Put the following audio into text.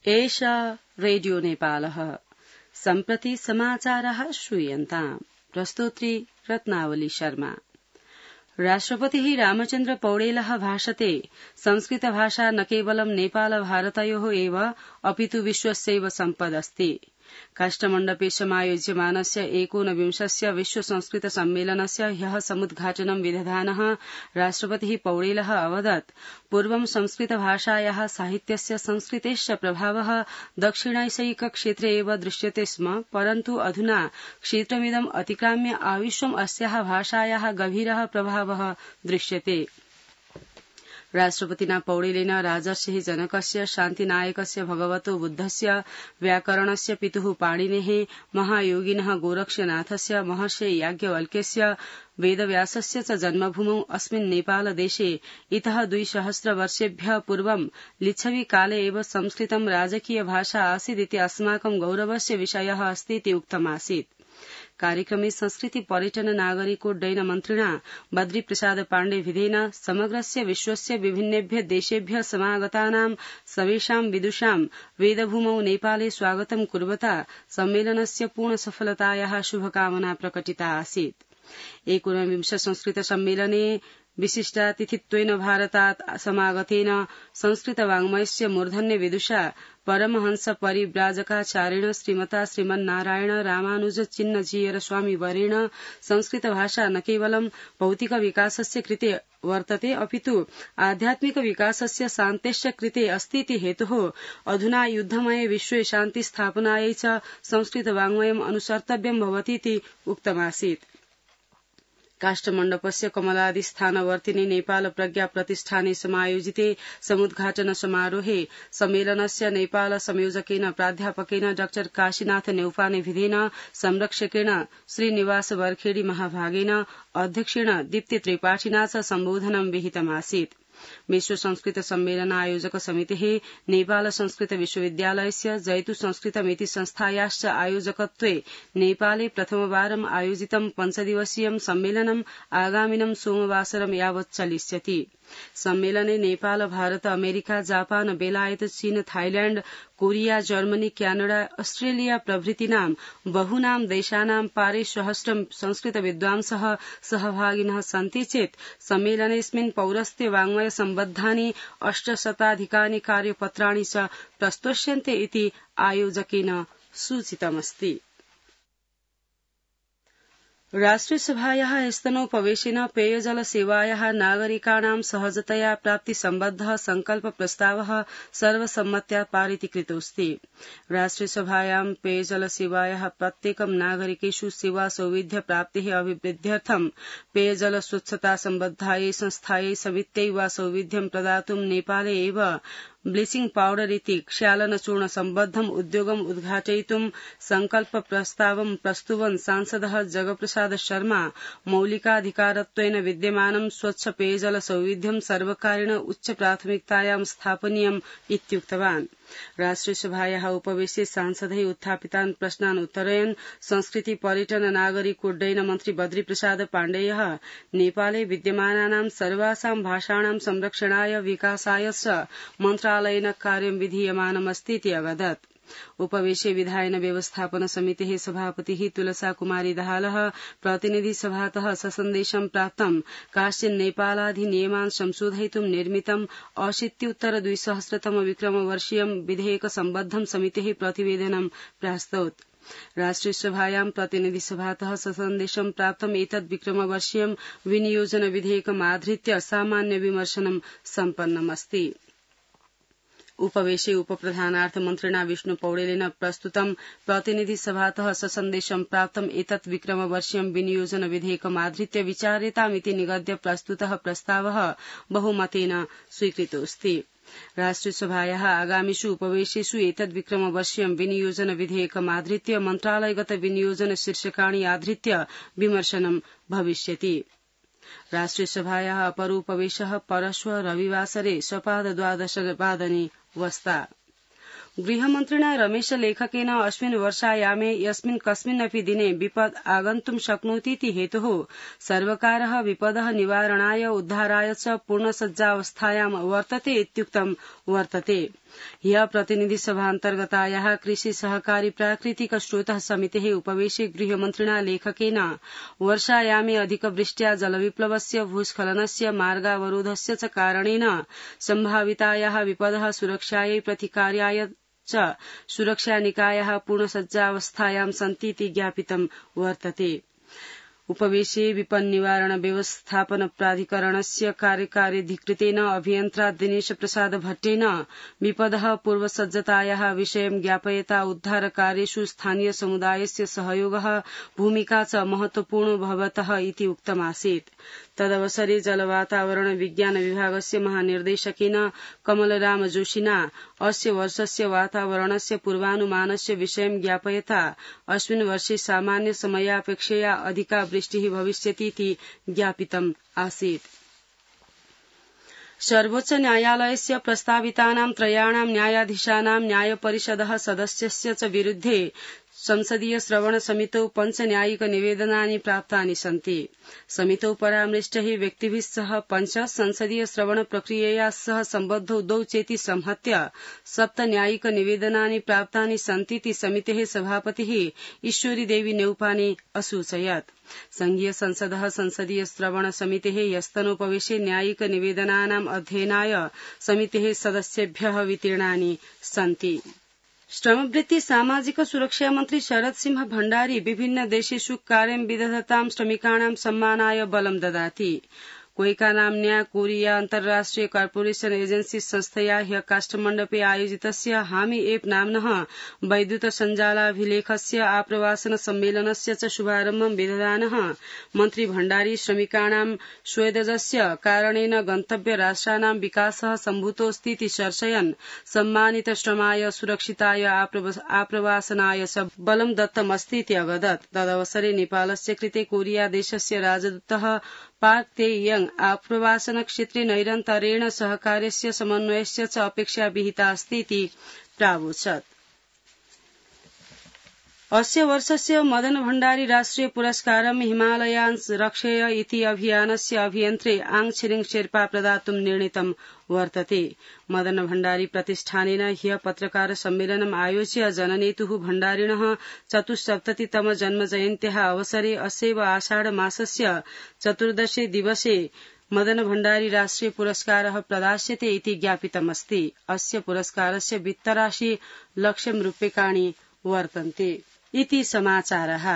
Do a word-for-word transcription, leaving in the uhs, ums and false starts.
एषा रेडियो नेपालः सम्प्रति समाचारः श्रूयन्ताम् प्रस्तोत्री रत्नावली शर्मा। राष्ट्रपतिः रामचन्द्र पौडेलः भाषते संस्कृत भाषा न केवलं नेपाल भारतयोः एव अपितु विश्वस्यैव सम्पदस्ति। काष्ठमण्डपे समायोज्यमानस्य एकोनविंशस्य विश्व संस्कृत सम्मेलनस्य ह्यः समुद्घाटनं विदधानः राष्ट्रपतिः पौडेलः अवदत् पूर्वं संस्कृत भाषायाः साहित्यस्य संस्कृतेश्च प्रभावः दक्षिणैशयिक क्षेत्रे एव दृश्यते स्म, परन्तु अधुना क्षेत्रमिदम् अतिक्राम्य आविश्वम् अस्याः भाषायाः गभीरः प्रभावः दृश्यते। राष्ट्रपतिना पौडेलेन राजर्षिः जनकस्य शान्तिनायकस्य भगवतो बुद्धस्य व्याकरणस्य पितुः पाणिनेः महायोगिनः गोरक्षनाथस्य महर्षे याज्ञवल्क्यस्य वेदव्यासस्य च जन्मभूमौ अस्मिन् नेपालदेशे इतः द्विसहस्रवर्षेभ्यः पूर्वं लिच्छविकाले एव संस्कृतं राजकीय भाषा आसीदिति अस्माकं गौरवस्य विषयः अस्तीति उक्तमासीत्। कार्यक्रमे संस्कृति पर्यटन नागरिकोड्डयन मन्त्रिणा बद्रीप्रसाद पाण्डे विधेन समग्रस्य विश्वस्य विभिन्नेभ्य देशेभ्य समागतानां सर्वेषां विदुषां वेदभूमौ नेपाले स्वागतं कुर्वता सम्मेलनस्य पूर्णसफलतायाः शुभकामना प्रकटिता आसीत्। एकोनविंश संस्कृत सम्मेलने विशिष्टातिथित्वेन भारतात् समागतेन संस्कृतवाङ्मयस्य मूर्धन्य विदुषा परमहंस परिव्राजकाचार्येण श्रीमता श्रीमन्नारायण रामानुज चिन्नजीयर स्वामी वरेण संस्कृत भाषा न केवलं भौतिक विकासस्य कृते वर्तते अपितु आध्यात्मिक विकासस्य शान्तेश्च कृते अस्तीति हेतुः अधुना युद्धमये विश्वे शान्ति स्थापनायै च संस्कृतवाङ्मयम् अनुसर्तव्यं भवतीति उक्तमासीत्। काष्ठमण्डपस्य कमलादिस्थानवर्तिनि नेपाल प्रज्ञा प्रतिष्ठाने समायोजिते समुद्घाटन समारोहे सम्मेलनस्य नेपाल संयोजकेन प्राध्यापकेन डॉ काशीनाथ नेउपाने विधेन संरक्षकेण श्रीनिवास बर्खेडी महाभागेन अध्यक्षेण दीप्ति त्रिपाठिना च सम्बोधनं विहितमासीत्। विश्व संस्कृत सम्मेलन आयोजक समितेः नेपाल संस्कृत विश्वविद्यालयस्य जयतु संस्कृतमिति संस्थायाश्च आयोजकत्वे नेपाले प्रथमवारम् आयोजितं पञ्चदिवसीयं सम्मेलनं आगामिनं सोमवासरं यावत् चलिष्यति। सम्मेलने नेपाल भारत अमेरिका जापान बेलायत चीन Thailand Korea Germany Canada Australia प्रभृतीनां बहूनां देशानां पारिसहस्रं संस्कृत विद्वांसः सहभागिनः सन्ति चेत् सम्मेलनेऽस्मिन् पौरस्त्य वाङ्मय सम्बद्धानि अष्टशताधिकानि कार्यपत्राणि च प्रस्तोष्यन्ते इति आयोजकेन सूचितमस्ति। राष्ट्रियसभायाः स्तनोपवेशेन पेयजल सेवायाः नागरिकाणां सहजतया प्राप्ति सम्बद्धः संकल्प प्रस्तावः सर्वसम्मत्या पारितीकृतोऽस्ति। राष्ट्रियसभायां पेयजल सेवायाः प्रत्येकं नागरिकेषु सेवा सौविध्य प्राप्तेः अभिवृद्ध्यर्थं पेयजल स्वच्छता सम्बद्धायै संस्थायै समित्यै वा सौविध्यं प्रदातुं नेपाले एव ब्लीचिंग पाउडर इति क्षालनचूर्ण सम्बद्धम् उद्योगम् उद्घाटयितुं संकल्प प्रस्तावं प्रस्तुवन् सांसदः जगप्रसाद शर्मा मौलिकाधिकारत्वेन विद्यमानं स्वच्छ पेयजल सौविध्यं सर्वकारेण उच्च प्राथमिकतायां स्थापनीयम् इत्युक्तवान्। राष्ट्रियसभायाः उपवेशे सांसदैः उत्थापितान् प्रश्नान् उत्तरयन् संस्कृति पर्यटन नागरिकोड्डयन मन्त्री बद्रीप्रसाद पाण्डेयः नेपाले विद्यमानानां सर्वासां भाषाणां संरक्षणाय विकासाय च मन्त्रालयेन कार्यं विधीयमानमस्तीति अवदत्। उपवेशे विधायन व्यवस्थापन समितेः सभापतिः तुलसा कुमारी दाहालः प्रतिनिधि सभातः ससन्देशं प्राप्तं काश्चिन् नेपालाधिनियमान् संशोधयितुं निर्मितं अशीत्युत्तर द्विसहस्रतम विक्रमवर्षीयं विधेयक सम्बद्धं समितेः प्रतिवेदनं प्रास्तौत्। राष्ट्रियसभायां प्रतिनिधिसभातः ससन्देशं प्राप्तम् एतद् विक्रमवर्षीयं विनियोजन विधेयकमाधृत्य सामान्य विमर्शनं सम्पन्नमस्ति। उपवेशे उपप्रधानार्थमन्त्रिणा विष्णु पौडेलेन प्रस्तुतं प्रतिनिधिसभातः ससन्देशं प्राप्तम् एतत् विक्रमवर्षीयं विनियोजन विधेयकमाधृत्य विचार्यतामिति निगद्य प्रस्तुतः प्रस्तावः बहुमतेन स्वीकृतोऽस्ति। राष्ट्रियसभायाः आगामिषु उपवेशेषु एतद् विक्रमवर्षीयं विनियोजन विधेयकमाधृत्य मन्त्रालयगत विनियोजन शीर्षकाणि आधृत्य विमर्शनं भविष्यति। राष्ट्रियसभायाः अपरोपवेशः परश्व रविवासरे सपादद्वादशवादने वस्ता। गृहमन्त्रिणा रमेश लेखकेन अस्मिन् वर्षायामे यस्मिन् कस्मिन्नपि दिने विपद् आगन्तुं शक्नोतीति हेतुः सर्वकारः विपदः निवारणाय उद्धाराय च पूर्णसज्जावस्थायां वर्तते इत्युक्तं वर्तते। ह्य प्रतिनिधिसभान्तर्गतायाः कृषि सहकारी प्राकृतिक स्रोतः समितेः उपवेशे गृहमन्त्रिणा लेखकेन वर्षायामे अधिकवृष्ट्या जलविप्लवस्य भूस्खलनस्य मार्गावरोधस्य च कारणेन सम्भावितायाः विपदः सुरक्षायै प्रतिकार्याय च सुरक्षानिकायाः पूर्णसज्जावस्थायां सन्तीति ज्ञापितं वर्तते। उपवेशे विपन्निवारण व्यवस्थापन प्राधिकरणस्य कार्यकार्यधिकृतेन अभियन्त्रा दिनेश प्रसाद भट्टेन विपदः पूर्वसज्जतायाः विषयं ज्ञापयता उद्धारकार्येषु स्थानीय समुदायस्य सहयोगः भूमिका च महत्वपूर्ण भवतः इति उक्तमासीत्। तदवसरे जलवातावरण विज्ञान विभागस्य महानिर्देशकेन कमलराम जोशिना अस्य वर्षस्य वातावरणस्य पूर्वानुमानस्य विषयं ज्ञापयता अस्मिन् वर्षे सामान्य समयापेक्षया अधिका वृष्टिः भविष्यतीति ज्ञापितम् आसीत्। सर्वोच्च न्यायालयस्य प्रस्तावितानां त्रयाणां न्यायाधीशानां न्यायपरिषदः सदस्यस्य च विरुद्धे संसदीय श्रवण समितौ पञ्च न्यायिक निवेदनानि प्राप्तानि सन्ति। समितौ परामृष्टैः व्यक्तिभिः सह पञ्च संसदीय श्रवण प्रक्रियया सह सम्बद्धौ द्वौ चेति संहत्य सप्त न्यायिक निवेदनानि प्राप्तानि सन्तीति समितेः सभापतिः ईश्वरी देवी नेउपाने असूचयत्। संघीय संसदः संसदीय श्रवण समितेः ह्यस्तनोपवेशे न्यायिक निवेदनानाम् अध्ययनाय समितेः सदस्येभ्यः वितीर्णानि सन्ति। श्रमवृत्ति सामाजिक सुरक्षा मन्त्री शरद सिंह भण्डारी विभिन्न देशेषु कार्यं विदधतां श्रमिकाणां सम्मानाय बलं ददाति। कोइका नाम्न्या कोरिया अन्तर्राष्ट्रिय कार्पोरेशन एजेन्सी संस्थया ह्य काष्ठमण्डपे आयोजितस्य हामी एप नाम्नः वैद्युत सञ्जालाभिलेखस्य आप्रवासन सम्मेलनस्य च शुभारम्भं विदधानः मन्त्री भण्डारी श्रमिकाणां स्वेदजस्य कारणेन गन्तव्य राष्ट्राणां विकासः सम्भूतोऽस्तीति चर्चयन् सम्मानित श्रमाय सुरक्षिताय आप्रवासनाय च बलं दत्तमस्तीति अवदत्। तदवसरे नेपालस्य कृते कोरिया देशस्य राजदूतः पार्क ते यंग आप्रवासन क्षेत्रे नैरन्तर्येण सहकार्यस्य समन्वयस्य च अपेक्षा विहिता अस्तीति प्रावोचत्। अस्य वर्षस्य मदन भण्डारी राष्ट्रिय पुरस्कारं हिमालयान् रक्षय इति अभियानस्य अभियन्त्रे आङ छिरिङ शेर्पा प्रदातुं निर्णीतं वर्तते। मदन भण्डारी प्रतिष्ठानेन ह्य पत्रकार सम्मेलनम् आयोज्य जननेतुः भण्डारिणः चतुस्सप्ततितम जन्मजयन्त्याः अवसरे अस्यैव आषाढ मासस्य चतुर्दशे दिवसे मदन भण्डारी राष्ट्रिय पुरस्कारः प्रदास्यते इति ज्ञापितमस्ति। अस्य पुरस्कारस्य वित्तराशि लक्षं रूप्यकाणि वर्तन्ते इति समाचारः।